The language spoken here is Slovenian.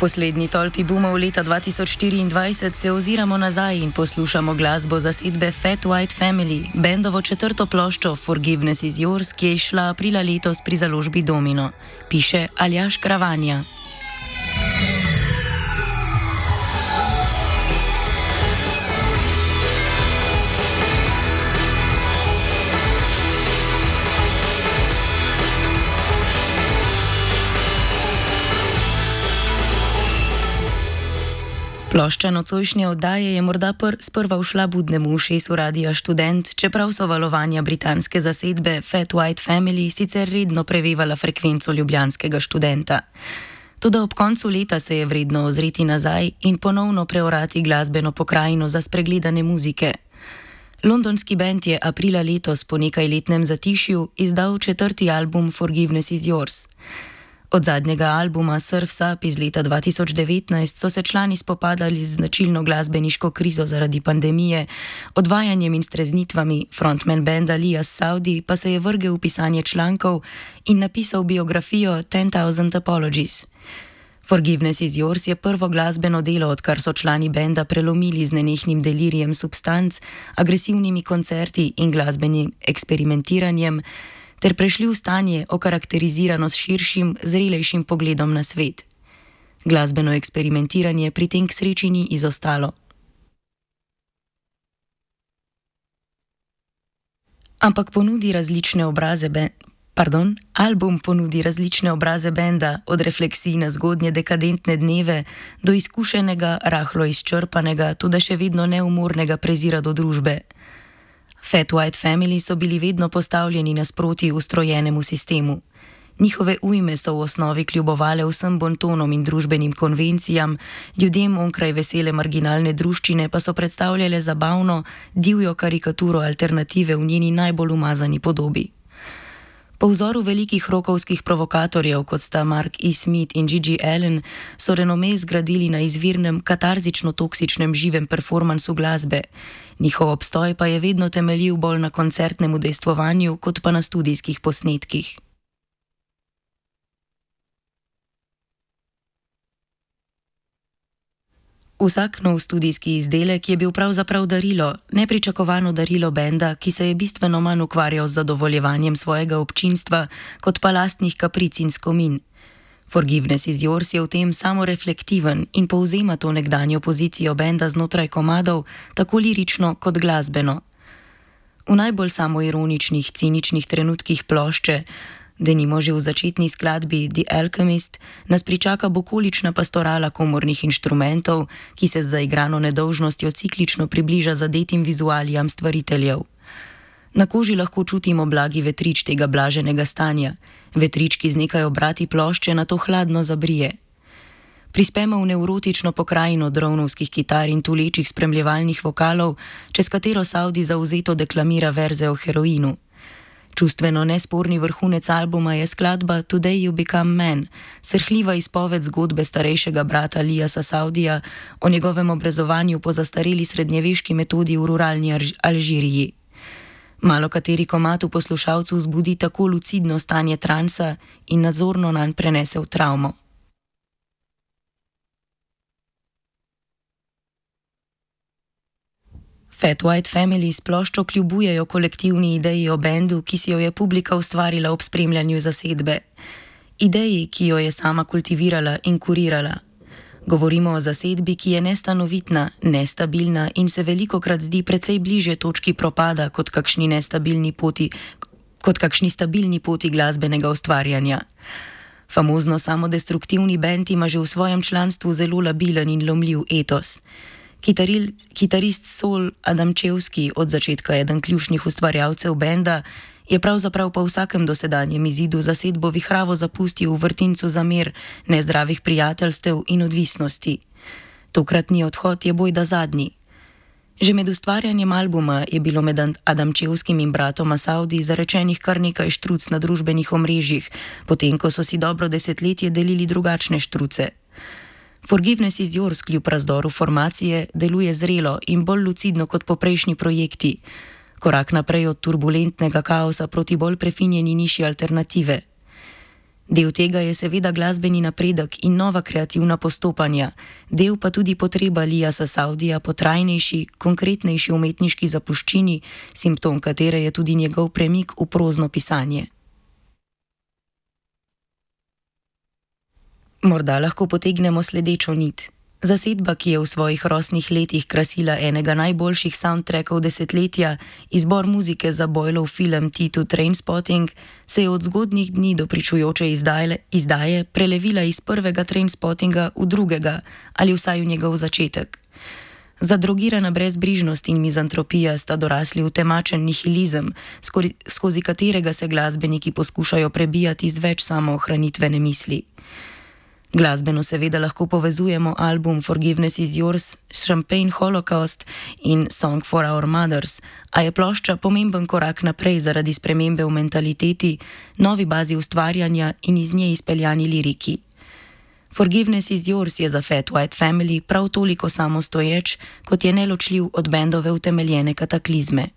poslednji tolpi boomov leta 2024 se oziramo nazaj in poslušamo glasbo zasedbe Fat White Family, bendovo četrto ploščo Forgiveness is Yours, ki je izšla aprila letos pri založbi Domino, piše Aljaž Kravanja. Plošča nocojšnje oddaje je morda sprva ušla budnemu ušesu Radia Študent, čeprav so valovanja britanske zasedbe Fat White Family sicer redno prevevala frekvenco ljubljanskega študenta. Toda ob koncu leta se je vredno ozreti nazaj in ponovno preorati glasbeno pokrajino za spregledane muzike. Londonski bend je aprila letos po nekajletnem zatišju izdal četrti album Forgiveness is Yours. Od zadnjega albuma Surf's Up iz leta 2019 so se člani spopadali z značilno glasbeniško krizo zaradi pandemije, odvajanjem in streznitvami, frontman benda Lias Saudi pa se je vrgel v pisanje člankov in napisal biografijo 10,000 Apologies. Forgiveness is Yours je prvo glasbeno delo, odkar so člani benda prelomili z nenehnim delirijem substanc, agresivnimi koncerti in glasbenim eksperimentiranjem, ter prešli v stanje okarakterizirano s širšim, zrelejšim pogledom na svet. Glasbeno eksperimentiranje pri tem k sreči ni izostalo. Ampak album ponudi različne obraze benda, od refleksij na zgodnje dekadentne dneve do izkušenega, rahlo izčrpanega, toda še vedno neumornega prezira do družbe. Fat White Family so bili vedno postavljeni nasproti ustrojenemu sistemu. Njihove ujme so v osnovi kljubovale vsem bontonom in družbenim konvencijam, ljudem onkraj vesele marginalne druščine pa so predstavljale zabavno, divjo karikaturo alternative v njeni najbolj umazani podobi. Po vzoru velikih rockovskih provokatorjev, kot sta Mark E. Smith in Gigi Allen, so renome zgradili na izvirnem, katarzično-toksičnem živem performansu glasbe. Njihov obstoj pa je vedno temeljil bolj na koncertnem udejstvovanju, kot pa na studijskih posnetkih. Vsak nov studijski izdelek je bil pravzaprav darilo, nepričakovano darilo benda, ki se je bistveno manj ukvarjal z zadovoljevanjem svojega občinstva, kot pa lastnih kapric in skomin. Forgiveness is Yours je v tem samoreflektiven in povzema to nekdanjo pozicijo benda znotraj komadov, tako lirično kot glasbeno. V najbolj samoironičnih, ciničnih trenutkih plošče, denimo že v začetni skladbi The Alchemist, nas pričaka bukolična pastorala komornih inštrumentov, ki se z zaigrano nedolžnostjo ciklično približa zadetim vizualijam stvariteljev. Na koži lahko čutimo blagi vetrič tega blaženega stanja. Vetrič, ki z nekaj obrati plošče nato hladno zabrije. Prispemo v nevrotično pokrajino drovnovskih kitar in tulečih spremljevalnih vokalov, čez katero Saudi zavzeto deklamira verze o heroinu. Čustveno nesporni vrhunec albuma je skladba Today You Become Man, srhljiva izpoved zgodbe starejšega brata Liasa Saudija o njegovem obrezovanju po zastareli srednjeveški metodi v ruralni Alžiriji. Malo kateri komad v poslušalcu vzbudi tako lucidno stanje transa in nadzorno nanj prenese v travmo. Fat White Family s ploščo kljubujejo kolektivni ideji o bendu, ki si jo je publika ustvarila ob spremljanju zasedbe. Ideji, ki jo je sama kultivirala in kurirala. Govorimo o zasedbi, ki je nestanovitna, nestabilna in se velikokrat zdi precej bliže točki propada kot kakšni stabilni poti glasbenega ustvarjanja. Famozno samodestruktivni bend ima že v svojem članstvu zelo labilen in lomljiv etos. Kitarist Sol Adamčevski, od začetka eden ključnih ustvarjalcev benda, je pravzaprav po vsakem dosedanjem izidu zasedbo vihravo zapustil v vrtincu zamer, nezdravih prijateljstev in odvisnosti. Tokratni odhod je bojda zadnji. Že med ustvarjanjem albuma je bilo med Adamčevskim in bratoma Saudi zarečenih kar nekaj štruc na družbenih omrežjih, potem ko so si dobro desetletje delili drugačne štruce. Forgiveness is Yours kljub razdoru formacije deluje zrelo in bolj lucidno kot poprejšnji projekti. Korak naprej od turbulentnega kaosa proti bolj prefinjeni niši alternative. Del tega je seveda glasbeni napredek in nova kreativna postopanja, del pa tudi potreba Lijasa Savdija po trajnejši, konkretnejši umetniški zapuščini, simptom katere je tudi njegov premik v prozno pisanje. Morda lahko potegnemo sledečo nit. Zasedba, ki je v svojih rosnih letih krasila enega najboljših soundtrackov desetletja, izbor muzike za Boylov film T2 Trainspotting, se je od zgodnjih dni do pričujoče izdaje prelevila iz prvega Trainspottinga v drugega ali vsaj v njegov začetek. Zadrogirana brezbrižnost in mizantropija sta dorasli v temačen nihilizem, skozi katerega se glasbeniki poskušajo prebijati z več samoohranitvene misli. Glasbeno seveda lahko povezujemo album Forgiveness is Yours, Champagne Holocaust in Song for Our Mothers, a je plošča pomemben korak naprej zaradi spremembe v mentaliteti, novi bazi ustvarjanja in iz nje izpeljani liriki. Forgiveness is Yours je za Fat White Family prav toliko samostoječ, kot je neločljiv od bendove utemeljene kataklizme.